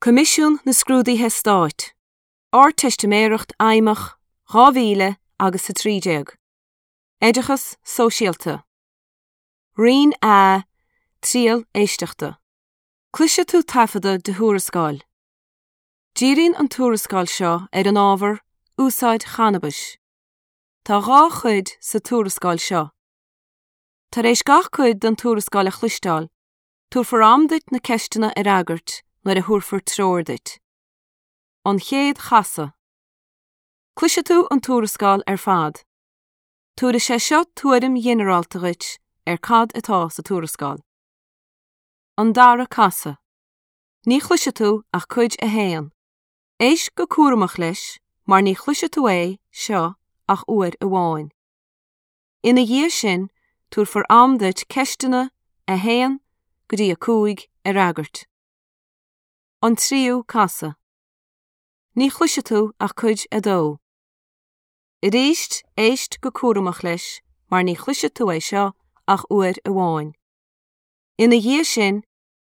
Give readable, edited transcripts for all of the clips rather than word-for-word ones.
Coimisiún na Scrúduithe Stáit, Ardteistiméireacht Fheidhmeach 2000 agus 13. Oideachas Sóisialta. Roinn A, Triail Éisteachta. Cloisfidh tú taifeadadh de thuarascáil. Díríonn an tuarascáil seo ar an ábhar 'Úsáid Channabais'. Tá 2 chuid sa tuarascáil seo. Tar éis gach cuid den tuarascáil a chloisteáil, Tabharfar am duit na ceisteanna a fhreagairt nuair a thabharfar treoir duit. An chéad chasadh. Cloisfidh tú an tuarascáil ar fad. Tabharfaidh sé seo tuairim ghinearálta dhuit ar cad atá sa tuarascáil. An dara casadh. Ní chloisfidh tú ach cuid a haon. Éist go cúramach leis mar ní chloisfidh tú é seo ach uair amháin. Ina dhiaidh sin, tabharfar am duit ceisteanna 1 go dtí 5 a fhreagairt. An tríú casadh. Ní chloisfidh tú ach cuid 2. Arís, éist go cúramach leis mar ní chloisfidh tú é seo ach uair amháin. Ina dhiaidh sin,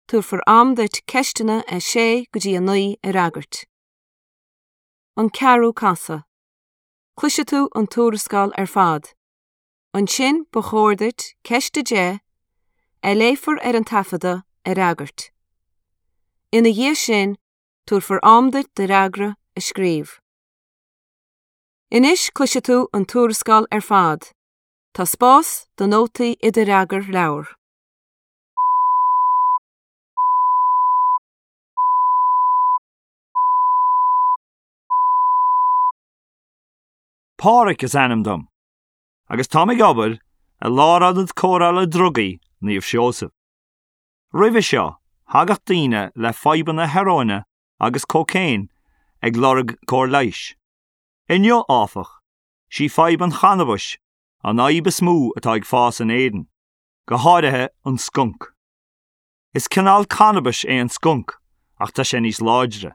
tabharfar am duit ceisteanna 6 go dtí 9 a fhreagairt. An ceathrú casadh. Cloisfidh tú an tuarascáil ar fad. Ansin ba chóir duit ceist 10, a léifear ar an taifeadadh, a fhreagairt. Ina dhiaidh sin, tabharfar am duit do fhreagra a scríobh. Anois cloisfidh tú an tuarascáil ar fad. Tá spás do nótaí i do fhreagarleabhar. Pádraic is ainm dom agus táim ag obair i Lárionad Cóireála Drugaí Naomh Seosamh. Roimhe seo, thagadh daoine le fadhbanna hearóine agus cócaon ag lorg cóir leighis. Inniu, áfach, sí fadhb an channabais an fhadhb is mó atá ag fás in Éirinn, go háirithe an skunk. Is cineál cannabais é an skunk ach tá sé níos láidre.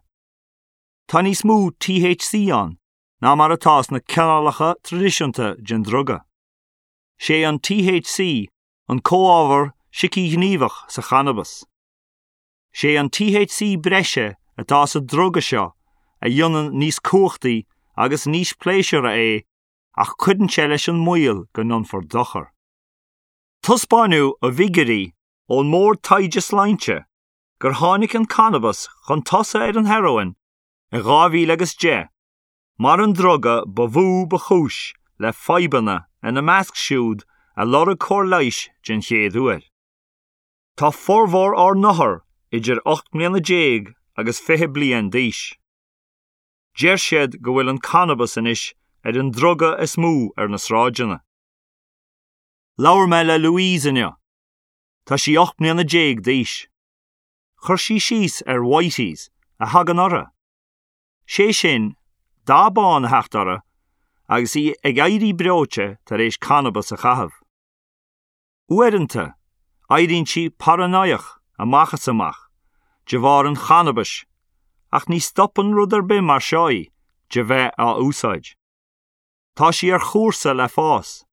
Tá níos mó THC ann ná mar atá sna cineálacha traidisiúnta den druga. Sé an THC an comhábhar sícighníomhach sa channabas. Sé an THC breise atá sa druga seo a dhéanann níos cumhachtaí agus níos pléisiúrtha é ach cuireann sé leis an mbaol go ndéanfar dochar. Taispeáineadh i bhfigiúirí ón mBord Taighde Sláinte gur tháinig an cannabas chun tosaigh ar an hearóin i 2010 mar an druga ba mhó ba chúis le fadhbanna ina measc siúd a lorg cóir leighis den chéad uair. Tá formhór ár n-othar idir 18 mbliana agus 20 bliain d'aois. Deir siad go bhfuil an cannabas anois ar an druga is mó ar na sráideanna. Labhair mé le Louise inniu. Tá sí 18 mbliana d'aois. Chuir sí síos ar whiteys a thagann uirthi. Sé sin, dath bán a theacht uirthi agus í ag éirí breoite tar éis cannabas a chaitheamh. Uaireanta, éiríonn sí paranoiach amach is amach de bharr an channabais ach ní stopann rud ar bith mar seo í de bheith á úsáid. Tá sí ar chúrsa le fás.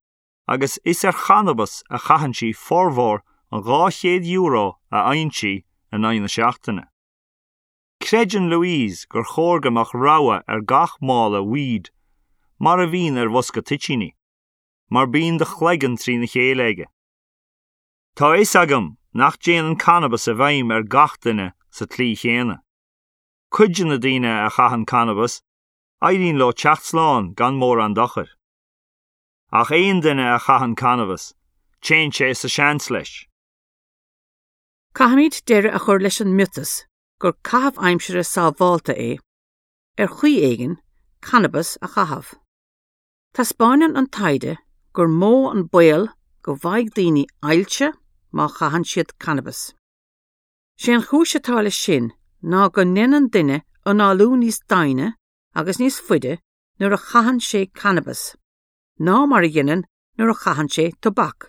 agus is ar channabas a chaitheann sí formhór an €200 a fhaigheann sí in aghaidh na seachtaine. Creideann Louise gur chóir go mbeadh rabhadh ar gach mála weed, mar a bhíonn ar bhosca toitíní, mar bíonn do chloigeann trína chéile aige. Tá a fhios agam nach dtéann an cannabas i bhfeidhm ar gach duine sa tslí chéanna. Cuid de na daoine a chaitheann cannabas, éiríonn leo teacht slán gan mórán dochair. Ach aon duine a chaitheann cannabas, téann sé sa seans leis. Caithfimid deireadh a chur leis an miotas gur caitheamh aimsire sábhálta é, ar chaoi éigin, cannabas a chaitheamh. Taispeánann an taighde gur mó an baol go bhfaighidh daoine ailse má chaitheann siad cannabas. Sé an chúis atá leis sin ná go ndéanann duine análú níos doimhne agus níos faide nuair a chaitheann sé cannabas ná mar a dhéanann nuair a chaitheann sé tobac.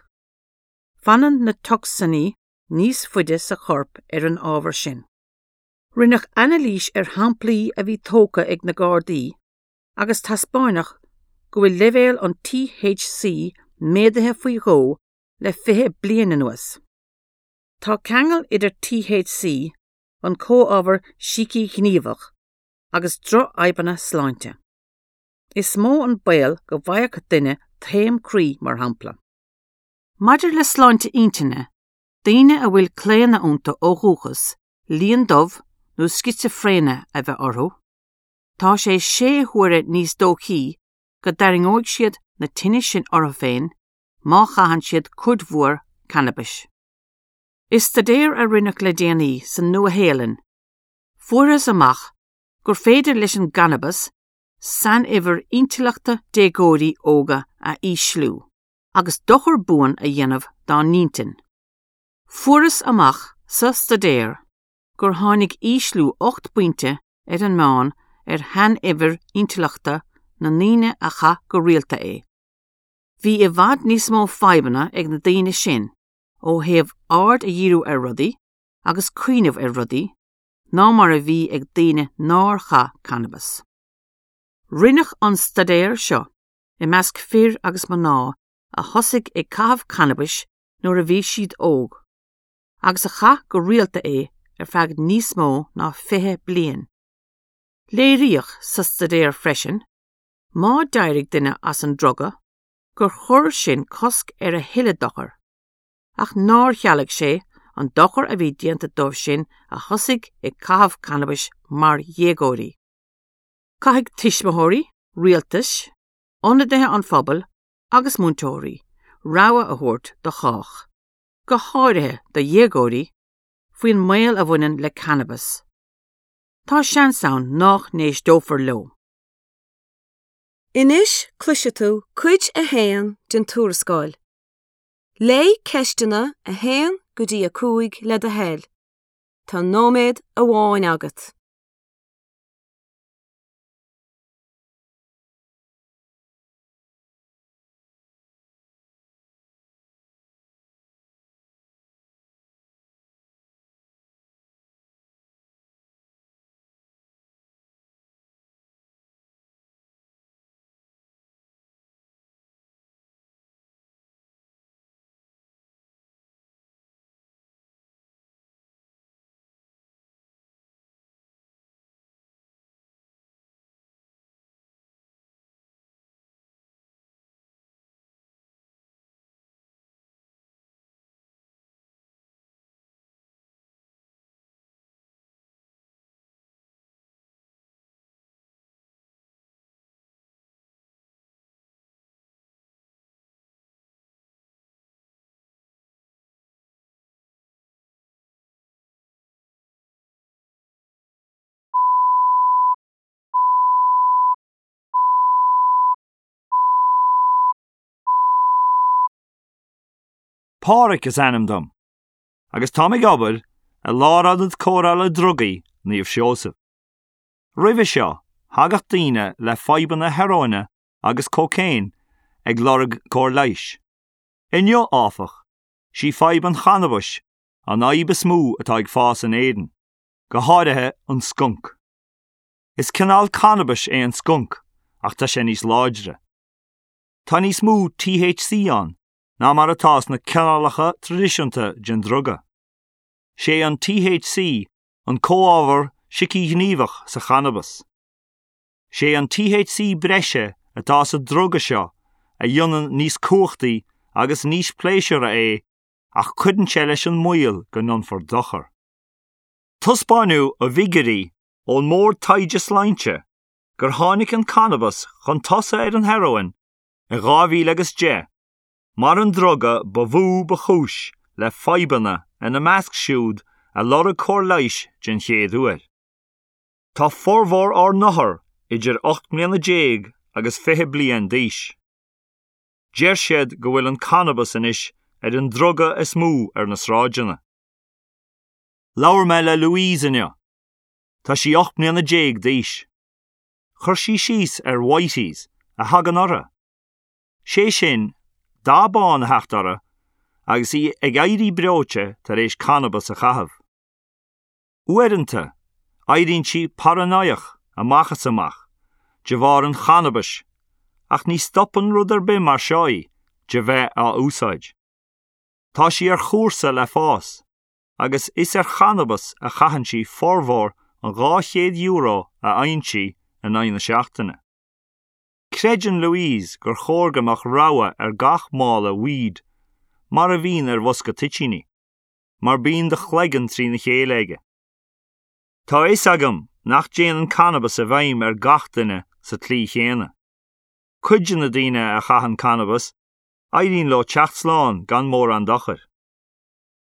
Fanann na tocsainí níos faide sa chorp ar an ábhar sin. Rinneadh anailís ar shamplaí a bhí tógtha ag na Gardaí agus taispeánadh go bhfuil leibhéal an THC méadaithe faoi dhó le 20 bliain anuas. Tá ceangal idir THC. an comhábhar sícighníomhach, agus drochfhadhbanna sláinte. Is mó an baol go bhfaigheadh duine taom croí, mar shampla. Maidir le sláinte intinne, daoine a bhfuil claonadh iontu ó dhúchas líon dubh nó scitsifréine a bheith orthu, tá sé sé huaire níos dóichí go dtarraingeoidh siad na tinnis sin orthu féin má chaitheann siad cuid mhór cannabais. I staidéar a rinneadh le déanaí sa Nua-Shéalainn, fuarthas amach gur féidir leis an gcannabas sainuimhir intleachta déagóirí óga a ísliú agus dochar buan a dhéanamh dá n-intinn. Fuarthas amach sa staidéar gur tháinig ísliú 8 bpointe ar an meán ar shainuimhir intleachta na ndaoine a chaith go rialta é. Bhí i bhfad níos mó fadhbanna ag na daoine sin ó thaobh aird a dhíriú ar rudaí agus cuimhneamh ar rudaí ná mar a bhí ag daoine nár chaith cannabas. Rinneadh an staidéar seo i measc fir agus mná a thosaigh ag caitheamh cannabais nuair a bhí siad óg, agus a chaith go rialta é ar feadh níos mó ná 20 bliain. Léiríodh sa staidéar freisin, má d'éirigh duine as an druga, gur chuir sin cosc ar a thuilleadh dochair, ach nár chealaigh sé an dochar a bhí déanta dóibh sin a thosaigh ag caitheamh cannabais mar dhéagóirí. Caithfidh tuismitheoirí, rialtais, ionadaithe an phobail agus múinteoirí rabhadh a thabhairt do chách, go háirithe do dhéagóirí, faoin mbaol a bhaineann le cannabas. Tá seans ann nách n-éisteofar leo. Anois cloisfidh tú cuid a haon den tuarascáil. Léigh ceisteanna 1 go dtí 5 le do thoil. Tá nóiméad amháin agat. Pádraic is ainm dom, agus táim ag obair i Lárionad Cóireála Drugaí Naomh Seosamh. Roimhe seo, thagadh daoine le fadhbanna hearóine agus cócaon ag lorg cóir leighis. Inniu, áfach, sí fadhb an channabais an fhadhb is mó atá ag fás in Éirinn, go háirithe an skunk. Is cineál cannabais é an skunk ach tá sé níos láidre. Tá níos mó THC ann ná mar atá sna cineálacha traidisiúnta den druga. Sé an THC an comhábhar sícighníomhach sa channabas. Sé an THC breise atá sa druga seo a dhéanann níos cumhachtaí agus níos pléisiúrtha é ach cuireann sé leis an mbaol go ndéanfar dochar. Taispeánadh i bhfigiúirí ón mBord Taighde Sláinte gur tháinig an cannabas chun tosaigh ar an hearóin i 2010 mar an druga ba mhó ba chúis le fadhbanna ina measc siúd a lorg cóir leighis den chéad uair. Tá formhór ár n-othar idir 18 mbliana agus 20 bliain d'aois. Deir siad go bhfuil an cannabas anois ar an druga is mó ar na sráideanna. Labhair mé le Louise inniu. Tá sí 18 mbliana d'aois. Chuir sí síos ar whiteys a thagann uirthi. Sé sin, dath bán a theacht uirthi agus í ag éirí breoite tar éis cannabas a chaitheamh. Uaireanta, éiríonn sí paranóideach amach is amach de bharr an channabais ach ní stopann rud ar bith mar seo í de bheith á úsáid. Tá sí ar chúrsa le fás. Agus is ar channabas a chaitheann sí formhór an €200 a fhaigheann sí in aghaidh na seachtaine. Creideann Louise gur chóir go mbeadh rabhadh ar gach mála weed, mar a bhíonn ar bhosca toitíní, mar bíonn do chloigeann trína chéile aige. Tá a fhios agam nach dtéann cannabas i bhfeidhm ar gach duine sa tslí chéanna. Cuid de na daoine a chaitheann cannabas, éiríonn leo teacht slán gan mórán dochair.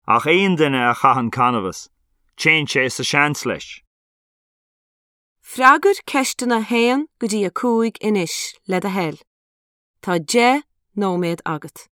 Ach aon duine a chaitheann cannabas, téann sé sa seans leis. Freagair ceisteanna 1 go dtí 5 anois, le do thoil. Tá 10 nóiméad agat.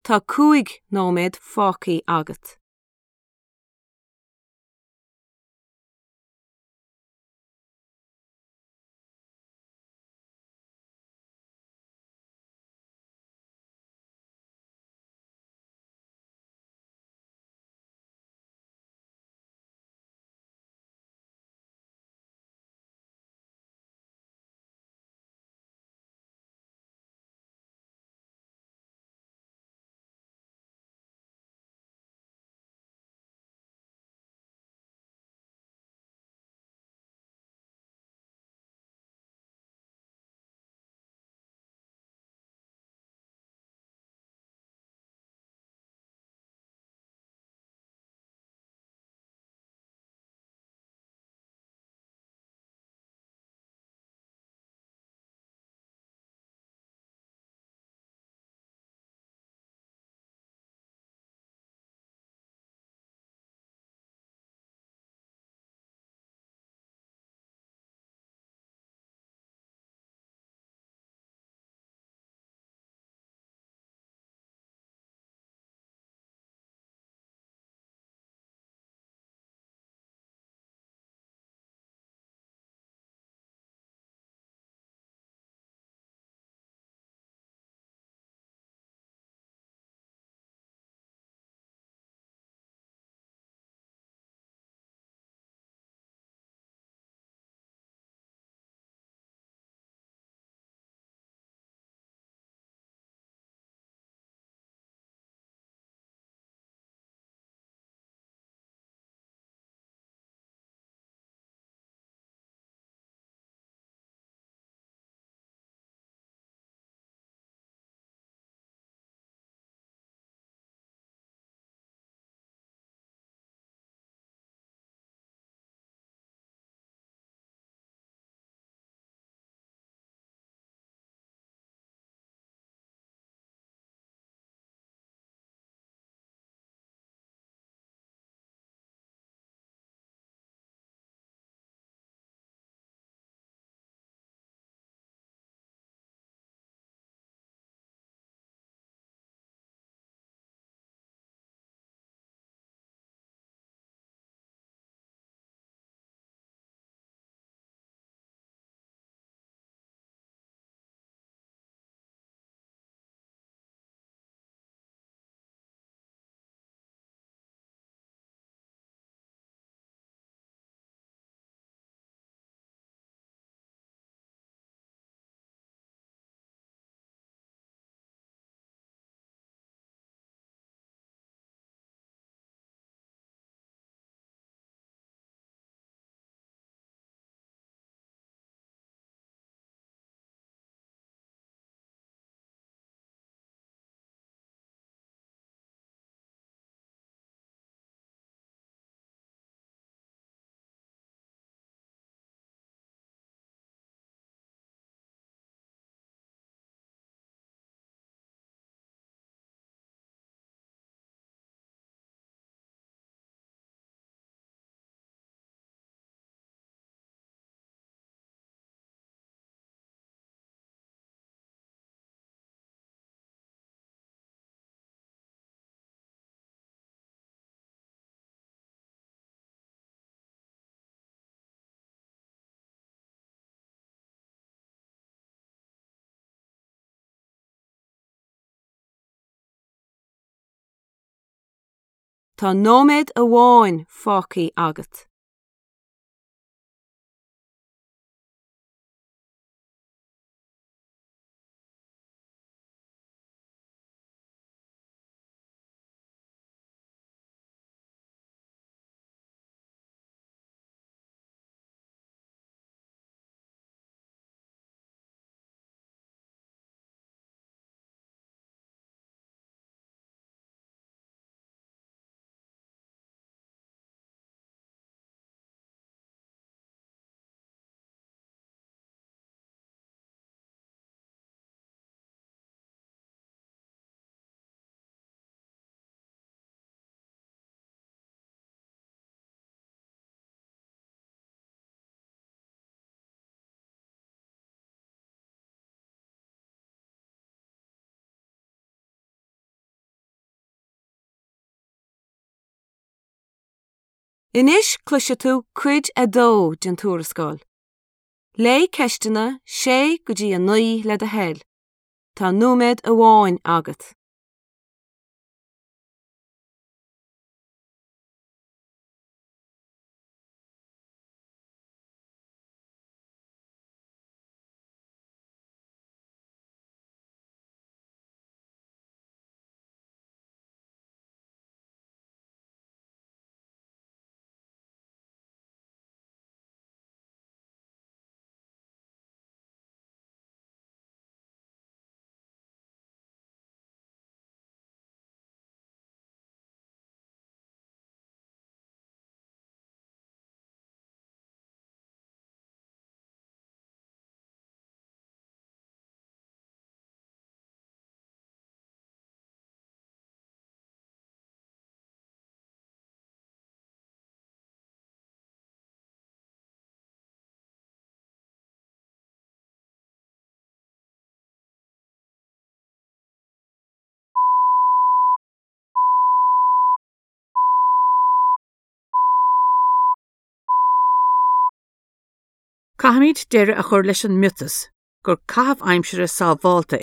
Tá 5 nóiméad fágtha agat. Tá nóiméad amháin fágtha agat. Anois cloisfidh tú cuid a dó den tuarascáil. Léigh ceisteanna 6 go dtí 9 le do thoil. Tá nóiméad amháin agat. Caithfimid deireadh a chur leis an miotas gur caitheamh aimsire sábhálta.